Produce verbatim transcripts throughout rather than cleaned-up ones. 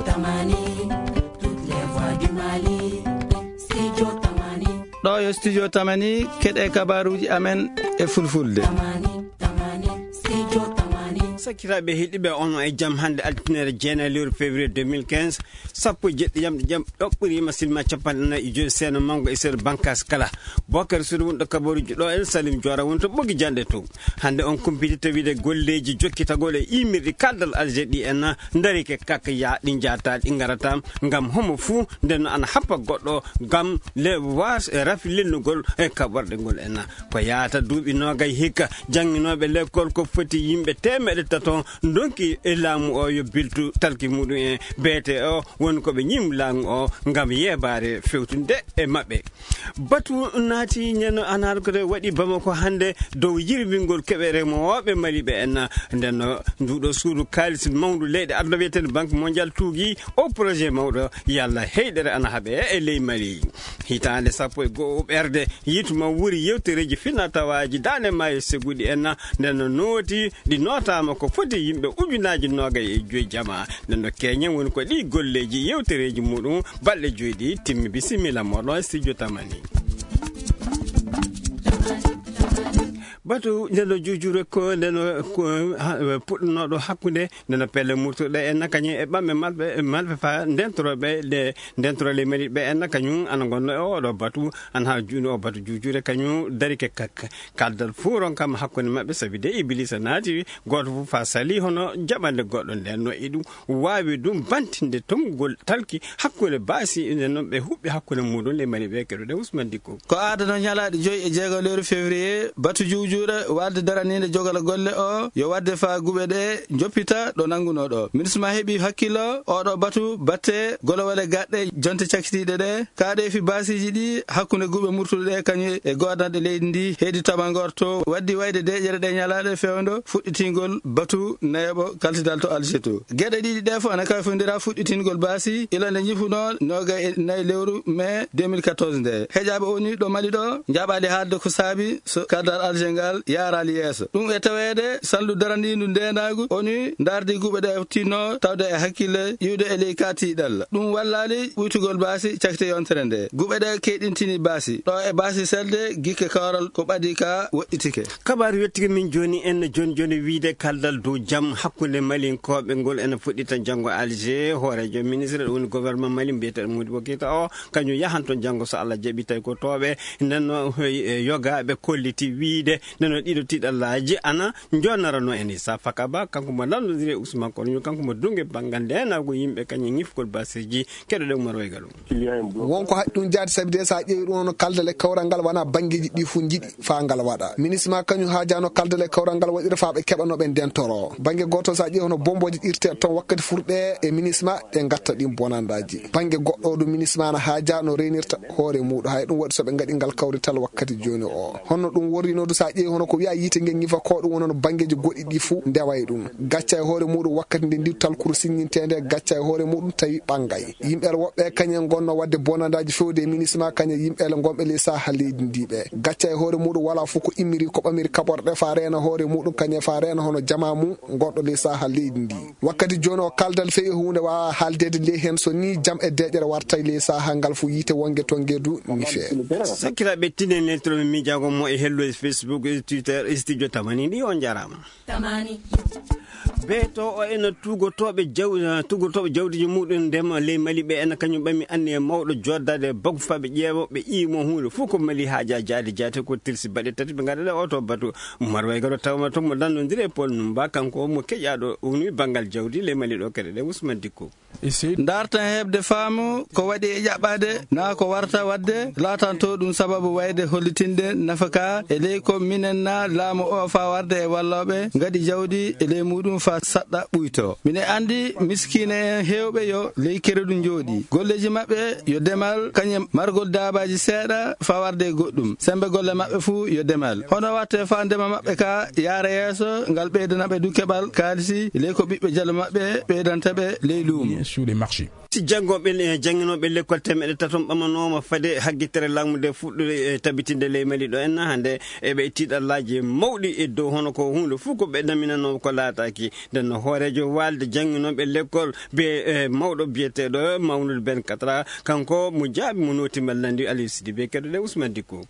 Tamani, toutes les voix du Mali. Studio Tamani. Ɗo yo Studio Tamani, keɗe kabaruuji amen e fulfulde. Tamani, Tamani, Studio Tamani. Sakkiraaɓe heɗiiɓe, on e jam hannde altine jeenayi lewru février deux mille quinze, sappo e jeɗɗi jamɗe jam ɗoɓɓiriima silma capanɗe nayi e joyi seeno manngo e seeɗa bankaas kala. Bokar Suudu woni ɗo kabaruuji ɗo en Salim Joora woni to ɓogi janɗe to. Hannde on kumpiti tawiide golleeji jokkitagol e imirɗi kaldal Alger ɗi en ndarike kak ya ɗi njaata ɗi ngarata ngam homo fuu nden no ana happa goɗɗo ngam le was e rafi lennugol e kaɓorɗe ngol en. Ko yaata duuɓi noogay hikka jannginooɓe lekkol ko foti yimɓe teemeɗe tato ndonki e laamu o yo biltu talki muɗum en beete o woni ko ɓe ñim laamu o ngam yeebaare fewtunde e maɓɓe. Batu naati ñande anarkore waɗi Bamako hannde dow yirbingol keɓe remooɓe Mali ɓe en. Nden no nduɗo suudu kaalis mawndu leyɗe aduna wiyeteende Banque Mondiale tuugi o projet mawɗo yalla heyɗere ana haɓe e ley Mali. Hitaande sappo e go'o ɓerde yitu ma wuri yewtereeji fina tawaaji daande maayo seguɗi en. Nden no nooti ɗi nootaama ko foti yimɓe ujunaaji noogay e joyi jama. Nden no keñen woni ko ɗi golleeji yewtereeji muɗum balɗe joyi ɗi timmi. Bisimilla moɗon e studio Tamani. Batu nden no juujure ko nden no ko, ha, puɗɗunooɗo hakkunde nden no pelle murtuɗe en kañum e ɓamɓe malɓe, malɓe fa ndentorooɓe ɗe ndentoro ley Mali ɓe en kañum ana ngonno e oɗo batu, ana ha juuni o batu juujure kañum darike kak. Kaldal fuu ronkaama hakkunde maɓɓe sabi de Ibilisa naati gooto fof faa salii hono jaɓande goɗɗo. Nden no e ɗum waawi ɗum bantinde tonngol talki hakkunde baasi, nden noon ɓe huɓɓi hakkunde muɗum ley Mali ɓe keɗoɗen Ousmane Dicko. Ko aadano ñalaaɗe joyi e jeego lewru février, batu juujuure waɗde daraniinde jogal golle o, yo waɗde faa guɓe ɗe njoppita ɗo nanngunoo ɗo. Minisma heɓi hakkillo, oɗo batu batte golowole gaɗɗe jonte cakkitiiɗe ɗe, kaaɗeefi baasiiji ɗi hakkunde guɓe murtuɗe ɗe kañum e goodnanɗe leydi ndi heydi tabangorto waddi wayde deeƴere ɗe ñalaaɗe fewndo fuɗɗitingol batu nayaɓo kaltidal to Alger to. Geɗe ɗiɗi ɗe fof ana kayfondira fuɗɗitingol baasi ila nde ñifunoo noogay e nayi lewru mai deux mille quatorze nde. Heƴaaɓe O N U ɗo Mali ɗo njaɓaali haalde ko saabi so kaldal Alger ngal yaaraali yeeso. Ɗum e taweede salndu daraniindu ndeenaagu O N U ndaardi guɓe ɗe tinno tawde e hakkille iwde e ley ka tiiɗalla. Ɗum wallaali ɓuytugol baasi cakite yontere nde. Guɓe ɗe keyɗintini baasi. Ɗo e baasi selde gikke kawral ko ɓadi ka woɗɗitike. Kabaaru yettike min jooni en jooni jooni wiide kaldal dow jam hakkunde Malinkooɓe ngol ene fuɗɗita janngo Alger. Hooreejo ministre ɗum woni gouvernement Mali mbiyeteeɗo Modibo Keita o, kañum yahan toon janngo so Allah jaɓi, tawi ko tooɓe. Nden no, eh, yogaaɓe kolliti wiide nden no ɗiɗo tiiɗallaaji ana njonarano en. Issa Fakaba, kanko mo nanndondiri e Ousmane Kono, kanko mo duŋe banngal ndeenaagu yimɓe kañum ñifgol baasiiji. Keɗoɗen Umar Wayga ɗum. Won ko haɗi ɗum jaade, sabi de so a ƴeewi ɗum, hono kaldal e kawral ngal wonaa banngeeji ɗi fof njiɗi faa ngal waɗa. Minisma kañum haajaano kaldal e kawral ngal waɗira faa ɓe keɓa no ɓe ndentoro. Bannge gooto, so a ƴeewi hono bombooji irteeɗe toon wakkati furɗe e minisma, ɗe ngatta ɗin bonandaaji. Bannge goɗɗo ɗum, minisma na haajaa no reenirta hoore muuɗum. Hay ɗum waɗi so ɓe ngaɗi ngal kawrital wakkati jooni o. Honno ɗum worrinoo du, so a ƴeewi hono ko wiyaa yiite nge ñifa ko, ɗum wonano banngeeji goɗɗi ɗi fof ndeway ɗum. Gacca e hoore muuɗum wakkati nde ndi talkuru siññinteende, gacca e hoore muuɗum tawi ɓangay. Yimɓe woɓɓe kañum en ngonno waɗde bonandaaji fewde e minisma, kañum e yimɓe ngonɓe ley saha leydi ndi ɓe. Gacca e hoore muuɗum wala fof ko immiri ko ɓamiri kaɓorɗe faa reena hoore muuɗum, kañum e faa reena hono jamaa mum ngonɗo ley saha leydi ndi. Wakkati jooni o kaldal feƴi huunde waawaa haaldeede ley heen so nii jam e deeƴere wartay ley saha ngal fof yiite wonge to ngeedu ñifee. Sakkiraaɓe tinen neltirooɓe miijaago mo e hello e Facebook e Twitter e studio Tamani ɗi on njaaraama. Tamani. Beeto o ena tugotooɓe jaw-, tugotooɓe jawdiji muɗum ndema ley Mali ɓe ena kañum ɓami anniya mawɗo joddaade e bagu faa ɓe ƴeewa ɓe iimo huunde fof ko Mali haaja jaade jaate ko tilsi baɗe tati ɓe ngaɗa ɗe oto batu. Umar Wayga ɗo tawma toon mo nanndondiri e Paul Numba, kanko mo keƴaaɗo O N U banngal jawdi ley Mali ɗo keɗoɗen Ousmane Dicko. Ndaartan heɓde faamu ko waɗi e ƴaɓɓaade naa ko warta waɗde, laatanto ɗum sababu wayde hollitinde nafaka e ley ko minen naa laamu o faa warde e wallooɓe ngaɗi jawdi e ley muuɗum faa saɗɗa ɓuyto. Mine anndi miskiine en heewɓe yo ley keredu njooɗi. Golleeji maɓɓe yo demal, kañum e margol daabaaji seeɗa faa warde e goɗɗum. Semmbe golle maɓɓe fuu yo demal. Hono watte faa ndema maɓɓe ka yaara yeeso, ngal ɓeydana ɓe du keɓal kaalisi ley ko ɓiɓɓe jalo maɓɓe ɓeydanta ɓe ley luumo. Sur les marchés. Janngo ɓe, eh, jannginooɓe lekkol temeɗe taton ɓamanooma fade haggitere laamu nde fuɗɗude, eh, tabitinde ley Mali ɗo en hannde. Eɓe e tiiɗallaaji mawɗi e dow hono ko huunde fof ko ɓe ɗaminanoo ko laataaki. Nden no hooreejo waalde jannginooɓe lekkol be, eh, mawɗo biyeteeɗo Mawnude Ben Katra, kanko mo jaabi mo nooti mallandi Aliou Sidibé, keɗoɗen Ousmane Dicko.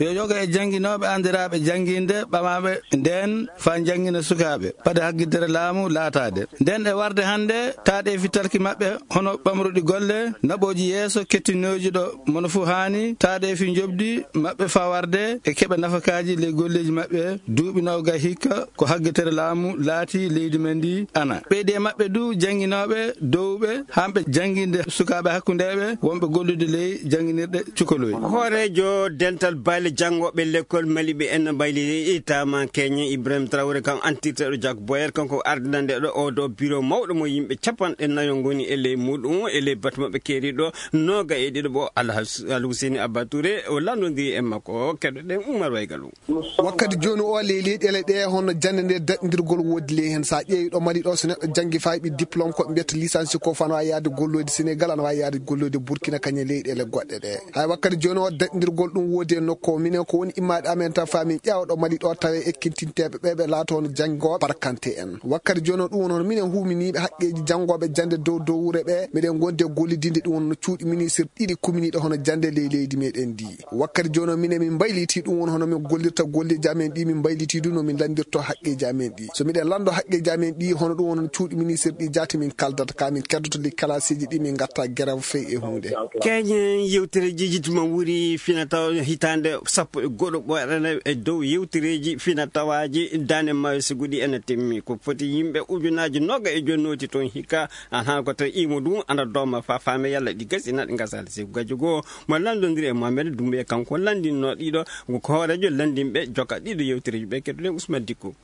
Yo yoga e jannginooɓe anndiraaɓe jannginde ɓamaaɓe ndeen faa njanngina sukaaɓe, ɓade haggitere laamu laataade. Nden e warde hannde, taaɗeefi talki maɓɓe hono ɓamruɗi golle, naɓooji yeeso kettinooji ɗo mono fuu haani, taaɗeefi njoɓdi maɓɓe faa warde e keɓa nafakaaji ley golleeji maɓɓe, duuɓi noogay hikka ko haggitere laamu laati leydi men ndi ana. Ɓeydi e maɓɓe du jannginooɓe dowɓe, hamɓe jannginde sukaaɓe hakkundeeɓe wonɓe gollude ley jannginirɗe cukoloy. Hooreejo dental baali janngooɓe lekkol Mali ɓe en mbayli taama Keñe Ibrahim Traoré, kam antirteeɗo Jak Boyer, kanko ardinande ɗo oo ɗo biro mawɗo mo yimɓe capanɗe nayo ngoni e ley muɗum, e ley batu maɓɓe keeriɗo nooga e ɗiɗo ɓo Alhas-, Alhuseni Abba Touré, o lanndondiri e makko, keɗoɗen Umar Waygalu. Wakkati jooni o, ley leyɗeele ɗe, hono jannde nde daɗndirgol woodi ley heen. So a ƴeewi ɗo Mali ɗo, so neɗɗo janngi faa heɓi diplôme, ko ɓe mbiyata licence ko, fano a yaade golloyde Sénégal, ana waawi yaade golloyde Burkina, kañum e leyɗeele goɗɗe ɗe. Hay wakkati jooni o, daɗndirgol ɗum woodi e nokku o. Minen ko woni immaaɗe amen tan faa min ƴeewa ɗo Mali ɗo, tawa ekkintinteeɓe ɓe, ɓe laata hono janngooɓe barkante en. Wakkati jooni o, ɗum woni hono minen huuminiiɓe haqqeeji janngooɓe jannde dow dow wure ɓe. Miɗen ngondi e gollidinde ɗum woni no cuuɗi ministre ɗiɗi kuminiiɗe hono jannde ley leydi meɗen ndi. Wakkati jooni o, minen min mbaylitii ɗum woni hono min gollirta golleeji amen ɗi, min mbaylitii du no min lanndirto haqqeeji amen ɗi. So miɗen lanndo haqqeeji amen ɗi, hono ɗum woni cuuɗi ministre ɗi jaati min kaldata, ka min keddoto li kalaasiiji ɗi, min ngatta gerew fey e huunde. Keñen yewtere jijituma wuri fina tawa hitaande sappo e goɗo ɓoyɗane e dow yewtereeji fina tawaaji daande maayo sigu ɗi ena timmi. Ko foti yimɓe ujunaaji nooga e joyi nooti toon hikka, an haa ko tawi imo ɗum ana dooma faa faame yalla ɗi gasi na ɗi ngasaali sigu gajjo goo. Mo lanndondiri e Mohamed Doumbouya, kanko lanndinno ɗiɗo, ko hooreejo lanndinɓe jokka ɗiɗo yewtereeji ɓe, keɗoɗen Ousmane Dicko.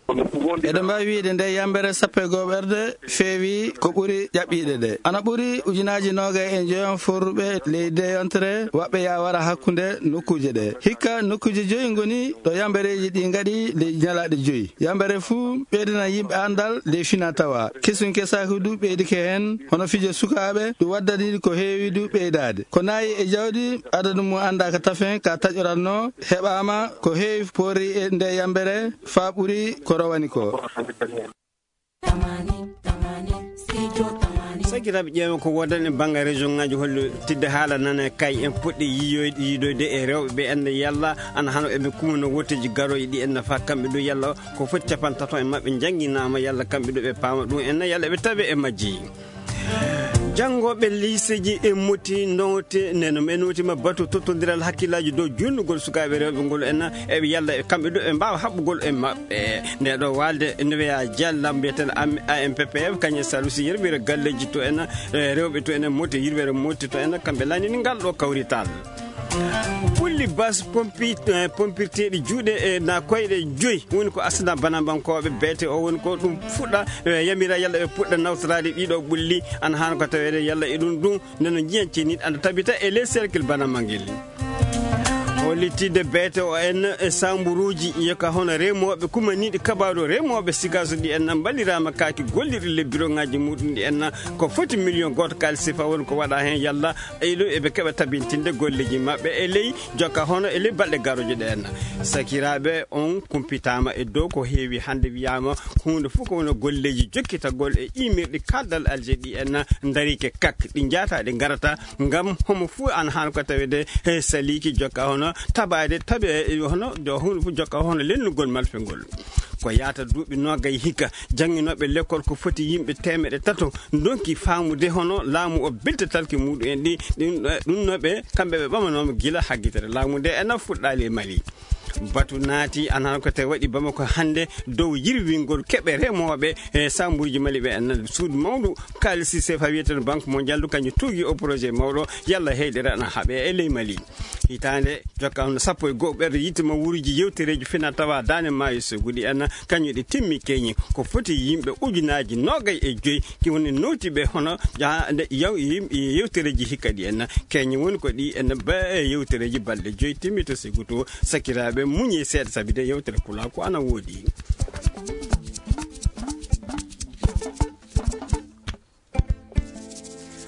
Eɗen mbaawi wiyde nde yambere sappo e gohoɓerde feewi ko ɓuri ƴaɓɓiiɗe ɗe. Ana ɓuri ujunaaji noogay e njoyon forruɓe ley deyontere waɓɓe yaa wara hakkunde nokkuuje ɗe. Hikka nokkuuje joyi ngoni ɗo yambereeji ɗi ngaɗi ley ñalaaɗe joyi. Yambere fuu ɓeydana yimɓe anndal ley fina tawa. Kesun kesaaki du ɓeydike heen, hono fijo sukaaɓe, ɗum waddani ko heewi du ɓeydaade. Ko nayi e jawdi adadu mum anndaaka tafen ka taƴoratnoo, heɓaama ko heewi poori e nde yambere faa ɓuri ko rowani ko. Sakiraaɓe, ƴeewen ko woodani e banngal région ŋaaji, hollo tidde haala nana kay en puɗɗi yiyoyde, yiidoyde e rewɓe ɓe en yalla ana hano eɓe kumano wotteeji garooji ɗi en faa kamɓe ɗo yalla ko foti capanɗe tato e maɓɓe njannginaama yalla kamɓe ɗo ɓe paama ɗum en yalla ɓe tawe e majji. Janngooɓe liiseeji e moti noote, neno men nootima batu tottondiral hakkillaaji dow junnugol sukaaɓe rewɓe ngol en, e ɓe yalla e kamɓe ɗo ɓe mbaawa haɓɓugol e maɓɓe. Nde ɗo waalde, nde wiya jallam mbiyeteeɗo am-, A M P P F, kañum e Salusi yirwere galleeji to en, e rewɓe to en, moti yirwere moti to en, kamɓe lanndini ngal ɗo kawrital. Ɓulli bas pompi-, eh, pompirteeɗi juuɗe, eh, na koyɗe joyi. Woni ko asna banambankooɓe beete o woni ko ɗum fuɗɗa, eh, yamira yalla ɓe puɗɗa nawtoraade ɗiɗo ɓulli. Ana haana ko taweede yalla e ɗum ɗum nde no njiyan ceniiɗi ana tabita e ley cercle banamba ngel. O littiide beete o en e samburuuji yoka hono remooɓe kumaniiɗi kabaaru remooɓe sigaasu ɗi en mballiraama kaaki gollirɗi le bureau ŋaaji muɗum ɗi en ko foti million gooto kaalis sifa woni ko waɗa heen yalla e ɗo eɓe keɓa tabintinde golleeji maɓɓe e ley jokka hono e ley balɗe garooje ɗe en. Sakiraaɓe, on kumpitaama e dow ko heewi hannde wiyaama huunde fof ko woni golleeji jokkitagol e imirɗi kaldal Alger ɗi en ndarike kak ɗi njaata ɗi ngarata ngam homo fof ana haana ko taweede he saliiki jokka hono tabaade tabe hono do huunde fof jokka hono lennugol malfengol. Ko yaata duuɓi noogay hikka, jannginooɓe lekkol ko foti yimɓe teemeɗe tato ndonki faamude hono laamu o biltatalki muɗum en ɗi, ɗin, ɗum no ɓe, kamɓe ɓe ɓamanooma gila haggitere laamu nde ena fuɗɗaali e Mali. Batu naati, ana ko te waɗi Bamako hannde dow yirwingol keɓe remooɓe e sambuuji Mali ɓe en. Suudu mawndu kaalisi sefa wiyeteeɗo Banque Mondiale du kañum tuugi o projet mawɗo yalla heyɗere ana haɓe e ley Mali. Hitaande jokka hono sappo e go'o ɓerɗe yitte ma wuuruji yewtereeji fina tawa daande maayo sogudi en kañum ɗi timmi keñi. Ko foti yimɓe ujunaaji noogay e joyi ki woni nootiɓe hono jaa-, nde yaw-, yim-, yewtereeji hikka ɗi en. Keñi woni ko ɗi en ba-, yewtereeji balɗe joyi timmi to sigu to. Sakiraaɓe, muñe seeɗa sabi de yewtere pulaaku ana woodi.